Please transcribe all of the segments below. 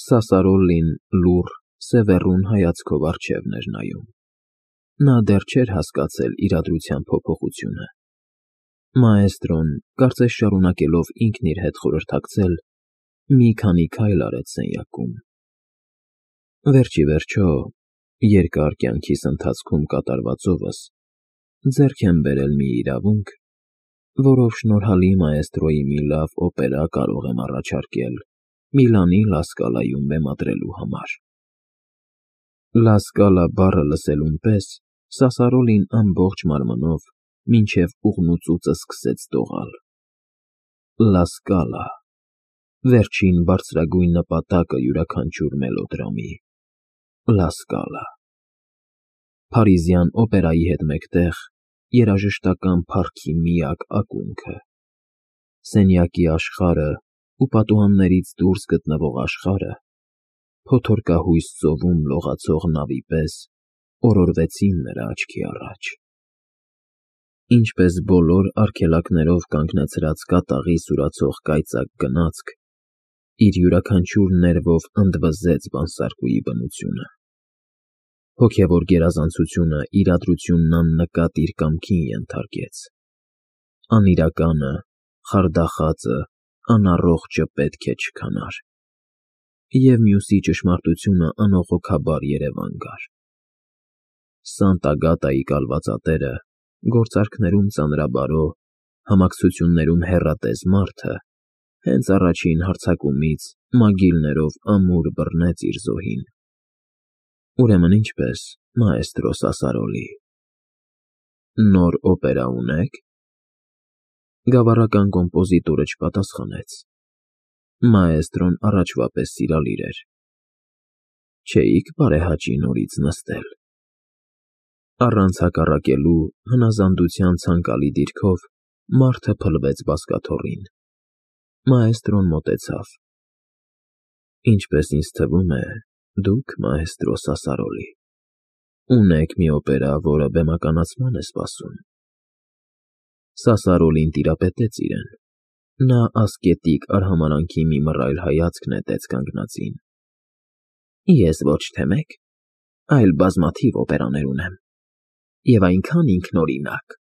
Սասարոլին լուռ, սևեռուն հայացքով առջևն էր նայում։ Նա դեռ չէր հասկացել իրադրության փոփոխությունը։ Մաեստրոն, կարծես շարունակելով ինքն իր հետ խորհրդակցել, մի քանի քայլ արեց սենյակում։ Վերջ ի վերջո, երկար կյանքիս ընթացքում կատարվածովս ձեռք եմ բերել մի իրավունք, որով շնորհալի մաեստրոյի մի լավ օպերա կարող եմ առաջարկել Միլանի Լա Սկալայում բեմադրելու համար։ Լա Սկալա բառը լսելուն պես Սասարոլին ամբողջ մարմնով մինչև ուղնուծուծը սկսեց դողալ։ Լա Սկալա, վերջին բարձրագույն նպատակը յուրաքանչյուր մելոդրամի։ Լա Սկալա։ Փարիզյան օպերայի հետ մեկտեղ երաժշտական փառքի միակ ակունքը։ Սենյակի աշխարհը ու պատուհաններից դուրս գտնվող աշխարհը, փոթորկահույս ծովում լողացող նավի պես, օրորվեցին նրա աչքի առաջ։ Ինչպես բոլոր արգելակներով կանգնեցրած կատաղի սուրացող կայծակ գնացք, իր յուրաքանչյուր ներվով ընդվզեց բանսարկուի բնությունը։ Հոգևոր գերազանցությունը իրադրությունն աննկատ իր կամքին ենթարկեց։ Անիրականը, խարդախածը, անառողջը պետք է չքանար։ Եվ մյուսի ճշմարտությունը անողոքաբար երևան գար։ Սանտա֊Գատայի կալվածատերը, գործարքներում ծանրաբարո, համակցություններում հեռատես մարդը, հենց առաջին հարձակումից մագիլներով ամուր բռնեց իր զոհին։ Ուրեմն ինչպես, մաեստրո Սասարոլի։ Նոր օպերա ունե՞ք։ Գավառական կոմպոզիտորը չպատասխանեց։ Մաեստրոն առաջվա պես սիրալիր էր։ Չէի՞ք բարեհաճի նորից նստել։ Առանց հակառակելու հնազանդության ցանկալի դիրքով մարդը փլվեց բազկաթոռին։ Մաեստրոն մոտեցավ։ Ինչպես ինձ թվում է, դուք, մաեստրո Սասարոլի, ունեք մի օպերա, որը բեմականացման է սպասում։ Սասարոլին տիրապետեց իրեն։ Նա ասկետիկ արհամարհանքի մի մռայլ հայացք նետեց կանգնածին։ Ես ոչ թե մեկ, այլ բազմաթիվ օպերաներ ունեմ, և այնքան ինքնօրինակ,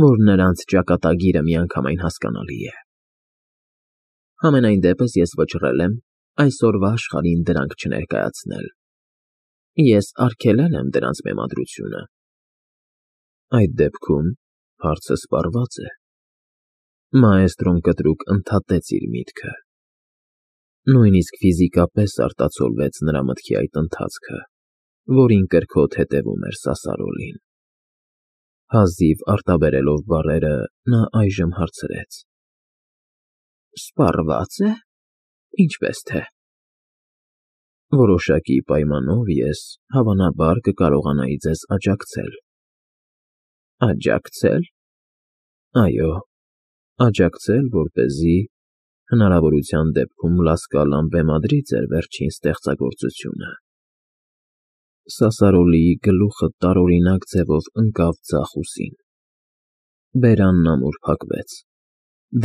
որ նրանց ճակատագիրը միանգամայն հասկանալի է։ Համենայն դեպս ես վճռել եմ այսօրվա աշխարհին դրանք չներկայացնել։ Ես արգելել եմ դրանց բեմադրությունը։ Այդ դեպքում հարցը սպառված է։ Մաեստրոն կտրուկ ընդհատեց իր միտքը։ Նույնիսկ ֆիզիկապես արտացոլվեց նրա մտքի այդ ընթացքը, որին կրքոտ հետևում էր Սասարոլին։ Հազիվ արտաբերելով բառերը, նա այժմ հարցրեց. Սպառվա՞ծ է, ինչպես թե։ Որոշակի պայմանով ես, հավանաբար, կկարողանայի ձեզ աջակցել։ Աջակցել։ Այո, աջակցել, որպեսզի հնարավորության դեպքում Լա Սկալան բեմադրի ձեր վերջին ստեղծագործությունը։ Սասարոլիի գլուխը տարօրինակ ձևով ընկավ ձախ ուսին։ Բերանն ամուր փակվեց։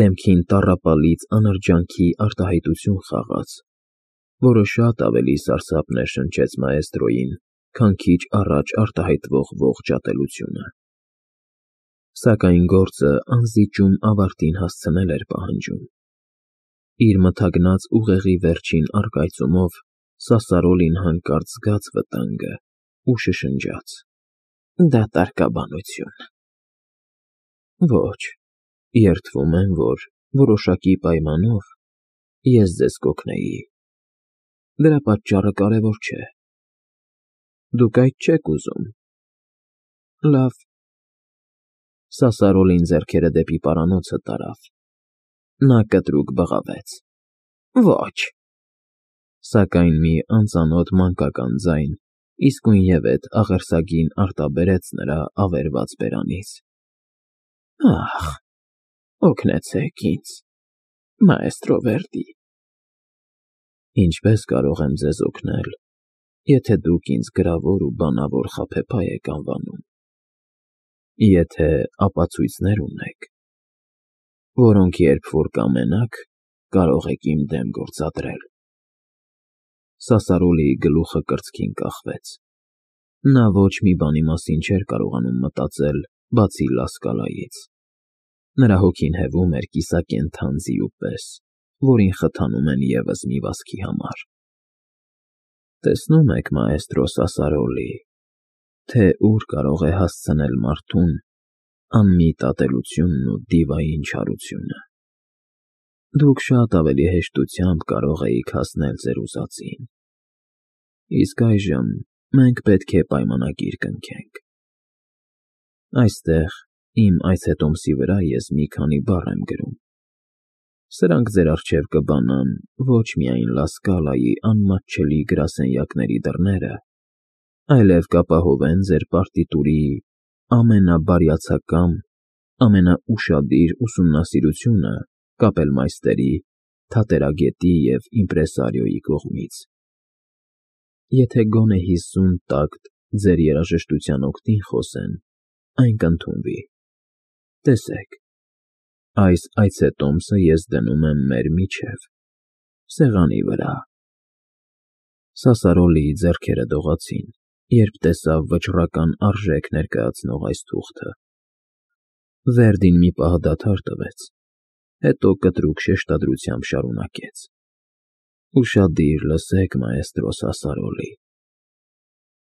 Դեմքին տառապալից անրջանքի արտահայտություն խաղաց, որը շատ ավելի սարսափներ շնչեց մաեստրոյին, քան քիչ առաջ արտահայտվող ողջ ատելությունը։ Սակայն գործը անզիջում ավարտին հասցնել էր պահանջում։ Իր մթագնած ուղեղի վերջին առկայծումով Սասարոլին հանկարծ զգաց վտանգը ու շշնջաց. Դատարկաբանություն։ Ոչ, երդվում եմ, որ որոշակի պայմանով ես ձեզ կօգնեի։ Դրա պատճառը կարևոր չէ։ Դուք այդ չեք ուզում։ Լավ։ Սասարոլին ձեռքերը դեպի պարանոցը տարավ։ Նա կտրուկ բղավեց. Ոչ։ Սակայն մի անծանոթ մանկական ձայն իսկույնևեթ աղերսագին արտաբերեց նրա ավերված բերանից. Ախ, օգնեցեք ինձ, մաեստրո Վերդի։ Ինչպես կարող եմ ձեզ օգնել, եթե դուք ինձ գրավոր ու բանավոր խաբեբայ եք անվանում։ Եթե ապացույցներ ունեք, որոնք երբ որ կամենաք, կարող եք իմ դեմ գործադրել։ Սասարոլիի գլուխը կրծքին կախվեց։ Նա ոչ մի բանի մասին չէր կարողանում մտածել, բացի Լասկալայից։ Նրա հոգին հևում էր կիսակենդան ձիու պես, որին խթանում են ևս մի վազքի համար։ Տեսնում եք, մաեստրո Սասարոլի, թե ուր կարող է հասցնել մարդուն անմիտ ատելությունն ու դիվային չարությունը։ Դուք շատ ավելի հեշտությամբ կարող էիք հասնել ձեր ուզածին։ Իսկ այժմ մենք պետք է պայմանագիր կնքենք։ Այստեղ, իմ այցետոմսի վրա ես մի քանի բառ եմ գրում։ Սրանք ձեր առջև կբանան ոչ միայն Լասկալայի անմատչելի գրասենյակների դռները, այլև կապահովեն ձեր պարտիտուրի ամենաբարյացակամ, ամենաուշադիր ուսումնասիրությունը կապելմայստերի, թատերագետի և իմպրեսարիոյի կողմից։ Եթե գոնե 50 տակտ ձեր երաժշտության օգտին խոսեն, այն կընդունվի։ Տեսեք, այս այցետոմսը ես դնում եմ մեր միջև, սեղանի վրա։ Սասարոլիի ձեռքերը դողացին, երբ տեսավ վճռական արժեք ներկայացնող այս թուղթը։ Վերդին մի պահ դադար տվեց, հետո կտրուկ շեշտադրությամբ շարունակեց. Ուշադիր լսեք, մաեստրո Սասարոլի։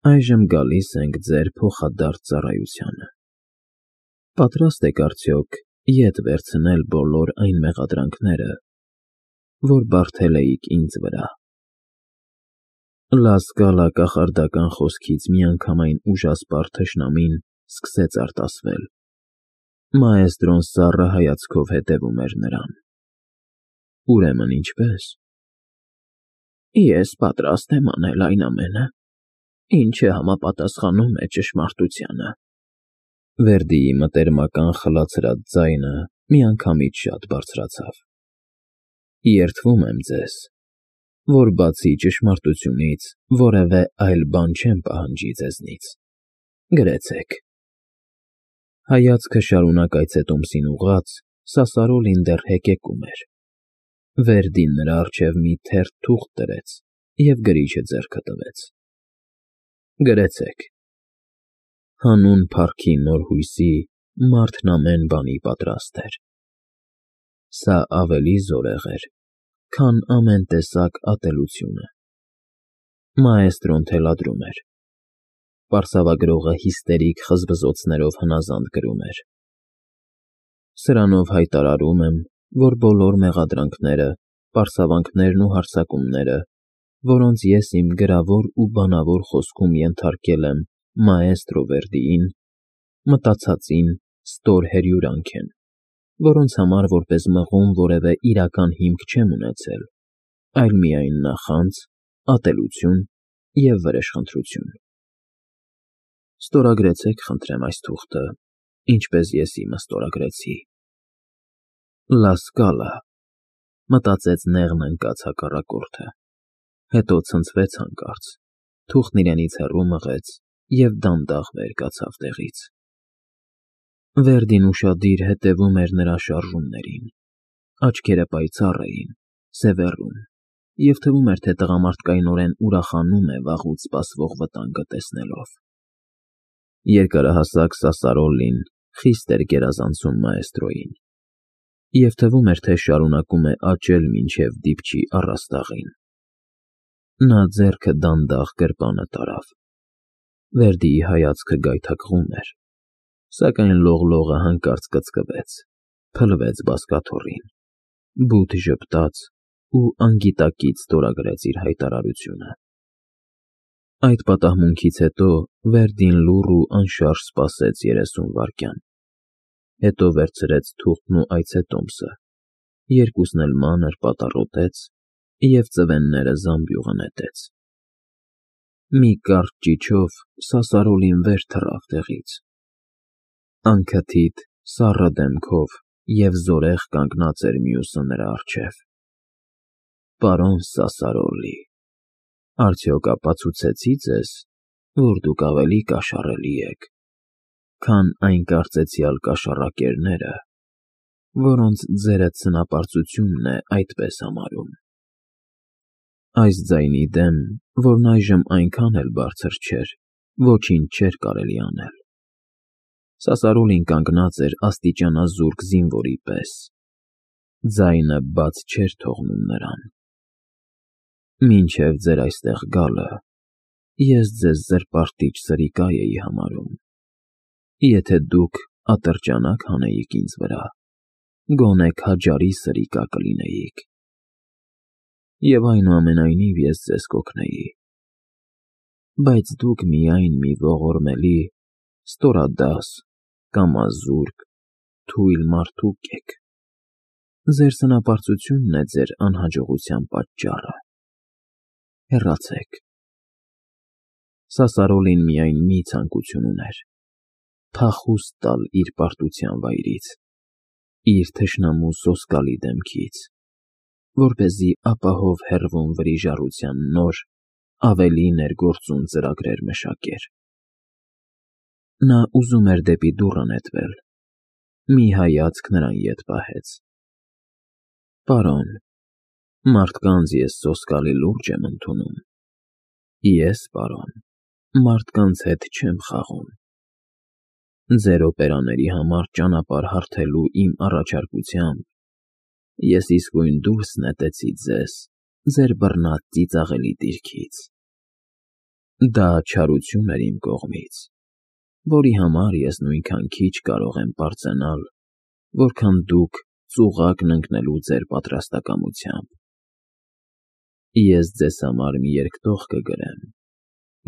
Այժմ գալիս ենք ձեր փոխադարձ ծառայությանը։ Պատրաստ եք արդյոք ետ վերցնել բոլոր այն մեղադրանքները, որ բարդել էիք ինձ վրա։ Լասկալա կախարդական խոսքից միանգամայն ուժասպառ թշնամին սկսեց արտասվել։ Մաեստրոն սառը հայացքով հետևում էր նրան։ Ուրեմն ինչպե՞ս։ Ես պատրաստ եմ անել այն ամենը, ինչը համապատասխանում է ճշմարտությանը։ Վերդիի մտերմական խլացրած ձայնը միանգամից շատ բարձրացավ։ Երդվում եմ ձեզ, որ բացի ճշմարտությունից որևէ այլ բան չեմ պահանջի ձեզնից։ Գրեցեք։ Հայացքը շարունակ այցետոմսին ուղղած, Սասարոլին դեռ հեկեկում էր։ Վերդին նրա առջև մի թերթ թուղթ դրեց և գրիչը ձեռքը տվեց։ Գրեցեք. հանուն փառքի նոր հույսի մարդն ամեն բանի պատրաստ էր։ Սա ավելի զորեղ էր, քան ամեն տեսակ ատելությունը։ Մաեստրոն թելադրում էր։ Պարսավագրողը հիստերիկ խզբզոցներով հնազանդ գրում էր. Սրանով հայտարարում եմ, որ բոլոր մեղադրանքները, պարսավանքներն ու հարձակումները, որոնց ես իմ գրավոր ու բանավոր խոսքում ենթարկել եմ մաեստրո Վերդիին, մտածածին ստոր հրյուրանք են, որոնց համար որպես մղում որևէ իրական հիմք չեմ ունեցել, այլ միայն նախանձ, ատելություն և վրեժխնդրություն։ Ստորագրեցեք, խնդրեմ, այս թուղթը, ինչպես ես իմը ստորագրեցի։ Լասկալա, մտածեց նեղն ընկած հակառակորդը, հետո ցնցվեց հանկարծ, թուղթն իրենից հեռու մղեց և դանդաղ վեր կացավ տեղից։ Վերդին ուշադիր հետևում էր նրա շարժումներին, աչքերը պայծառ էին, սևեռուն, և թվում էր, թե տղամարդկայնորեն ուրախանում է վաղուց սպասվող վտանգը տեսնելով։ Երկարահասակ Սասարոլին խիստ էր գերազանցում մաեստրոյին, և թվում էր, թե շարունակում է աճել մինչև դիպչի առաստաղին։ Նա ձեռքը դանդաղ գրպանը տարավ։ Վերդիի հայացքը գայթակղում էր, սակայն լողլողը հանկարծ կծկվեց, փլվեց բազկաթոռին, բութ ժպտաց ու անգիտակից ստորագրեց իր հայտարարությունը։ Այդ պատահմունքից հետո Վերդին լուռ ու անշարժ սպասեց 30 վայրկյան, հետո վերցրեց թուղթն ու այցետոմսը, երկուսն էլ մանր պատառոտեց և ծվենները զամբյուղը նետեց։ Մի կարճ ճիչով Սասարոլին վեր թռավ տեղից։ Անքթիթ, սառը դեմքով և զորեղ կանգնած էր մյուսը նրա առջև։ Պարոն Սասարոլի, արդյոք ապացուցեցի՞ ձեզ, որ դուք ավելի կաշառելի եք, քան այն կարծեցյալ կաշառակերները, որոնց ձերդ ցնապարծությունն է այդպես համարում։ Այս ձայնի դեմ, որն այժմ այնքան էլ բարձր չէր, ոչինչ չէր կարելի անել։ Սասարոլին կանգնած էր աստիճանազուրկ զինվորի պես։ Ձայնը բաց չէր թողնում նրան։ Մինչև ձեր այստեղ գալը, ես ձեզ զրպարտիչ սրիկա էի համարում։ Եթե դուք ատրճանակ հանեիք ինձ վրա, գոնե քաջարի սրիկա կլինեիք։ Եվ այնուամենայնիվ ես ձեզ կօգնեի։ Բայց դուք միայն մի ողորմելի, ստորադաս, կամազուրկ, թույլ մարդուկ եք։ Ձեր սնապարծությունն է ձեր անհաջողության պատճառը։ Հեռացեք։ Սասարոլին միայն մի ցանկություն ուներ՝ փախուստ տալ իր պարտության վայրից, իր թշնամու սոսկալի դեմքից, որպեսզի ապահով հեռվում վրիժառության նոր, ավելի ներգործուն ծրագրեր մշակեր։ Նա ուզում էր դեպի դուռը նետվել, մի հայացք նրան ետ պահեց։ Պարոն, մարդկանց ես սոսկալի լուրջ եմ ընդունում։ Ես, պարոն, մարդկանց հետ չեմ խաղում։ Ձեր օպերաների համար ճանապարհ հարթելու իմ առաջարկությամբ ես իսկույն դուրս նետեցի ձեզ ձեր բռնած ծիծաղելի դիրքից։ Դա չարություն էր իմ կողմից, որի համար ես նույնքան քիչ կարող եմ պարծենալ, որքան դուք ծուղակն ընկնելու ձեր պատրաստակամությամբ։ Ես ձեզ համար մի երկտող կգրեմ,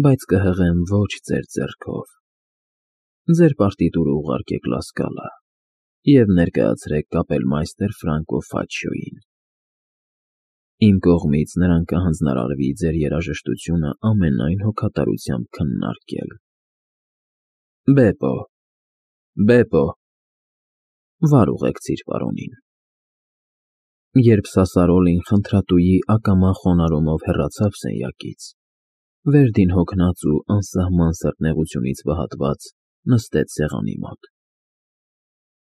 բայց կհղեմ ոչ ձեր ձեռքով։ Ձեր պարտիտուրը ուղարկեք Լասկալա և ներկայացրեք կապելմայստեր Ֆրանկո Ֆաչիոյին։ Իմ կողմից նրան կհանձնարարվի ձեր երաժշտությունը ամենայն հոգատարությամբ քննարկել։ Բեպո, Բեպո, վար ուղեկցիր պարոնին։ Երբ Սասարոլին խնդրատուի ակամա խոնարհումով հեռացավ սենյակից, Վերդին հոգնած ու անսահման սրտնեղությունից վհատված նստեց սեղանի մոտ։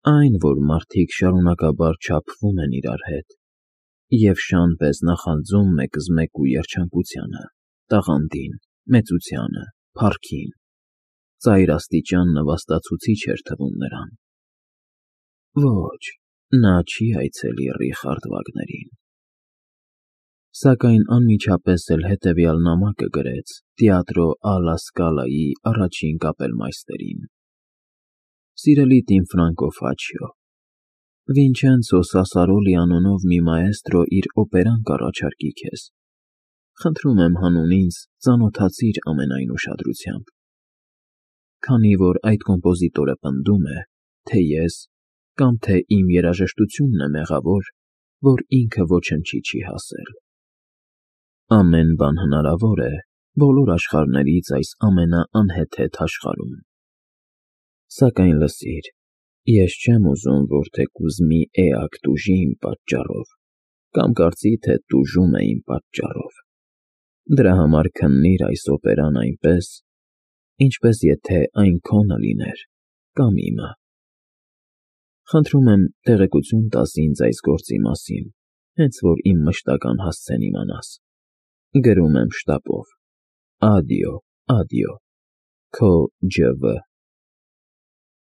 Այն, որ մարդիկ շարունակաբար չափվում են իրար հետ և շան պես նախանձում մեկզմեկու երջանկությանը, տաղանդին, մեծությանը, փառքին, ծայրաստիճան նվաստացուցիչ էր թվում նրան։ Ոչ, նա չի այցելի Ռիխարդ Վագներին։ Սակայն անմիջապես էլ հետևյալ նամակը գրեց Տեատրո Ալլա Սկալայի առաջին կապելմայստերին. Սիրելի Տիմ Ֆրանկո Ֆաչիո, Վինչենցո Սասարոլի անունով մի մաեստրո իր օպերան կառաջարկի քեզ։ Խնդրում եմ հանուն ինձ ծանոթացիր ամենայն ուշադրությամբ։ Քանի որ այդ կոմպոզիտորը պնդում է, թե ես կամ թե իմ երաժշտությունն է մեղավոր, որ ինքը ոչնչի չի հասել։ Ամեն բան հնարավոր է բոլոր աշխարհներից այս ամենաանհեթեթ աշխարհում։ Սակայն լսիր, ես չեմ ուզում, որ թեկուզ մի էակ տուժի իմ պատճառով, կամ կարծի, թե տուժում է իմ պատճառով։ Դրա համար քննիր այս օպերան այնպես, ինչպես եթե այն քոնը լիներ, կամ իմը։ Խնդրում եմ տեղեկություն տաս ինձ այս գործի մասին, հենց որ իմ մշտական հասցեն իմանաս։ Գրում եմ շտապով։ Ադիո, ադիո, Քո Ջ.V.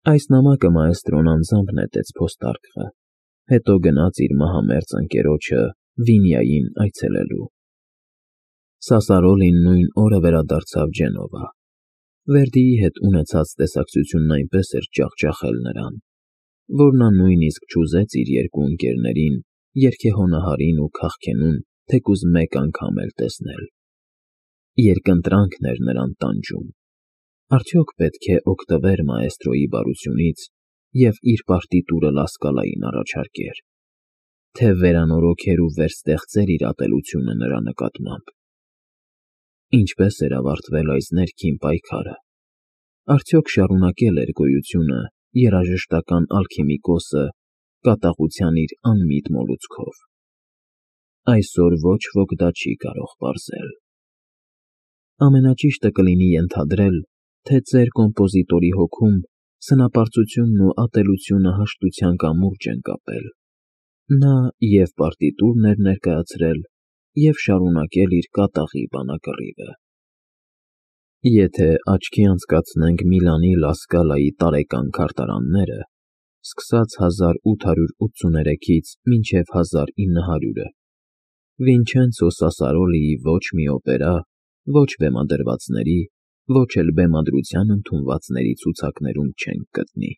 Այս նամակը մաեստրոն անձամբ նետեց փոստարկղը, հետո գնաց իր մահամերձ ընկերոջը Վինյային այցելելու։ Սասարոլին նույն օրը վերադարձավ Ջենովա։ Վերդիի հետ ունեցած տեսակցությունն այնպես էր ջախջախել նրան, որ նա նույնիսկ չուզեց իր երկու ընկերներին երգեհոնահարին ու քաղքենուն թեկուզ մեկ անգամ էլ տեսնել։ Երկընտրանքն էր նրան տանջում։ Արդյոք պետք է օգտվեր մաեստրոյի բարությունից և իր պարտիտուրը Լասկալային առաջարկեր, թե վերանորոգեր ու վերստեղծեր իր ատելությունը նրա նկատմամբ։ Ինչպես էր ավարտվել այս ներքին պայքարը։ Արդյոք շարունակել էր գոյությունը երաժշտական ալքիմիկոսը կատաղության իր անմիտ մոլուցքով։ Այսօր ոչ ոք դա չի կարող պարզել։ Ամենաճիշտը կլինի ենթադրել, թե ձեր կոմպոզիտորի հոգում սնապարծությունն ու ատելությունը հաշտության կամուրջ են կապել։ Նա և պարտիտուրն էր ներկայացրել, և շարունակել իր կատաղի բանակռիվը։ Եթե աչքի անցկացնենք Միլանի Լա Սկալայի տարեկան քարտարանները, սկսած 1883-ից մինչև 1900-ը, Վինչենցո Սասարոլիի ոչ մի օպերա, ոչ բեմադրվածների, ոչ էլ բեմադրության ընդունվածների ցուցակներում չենք գտնի։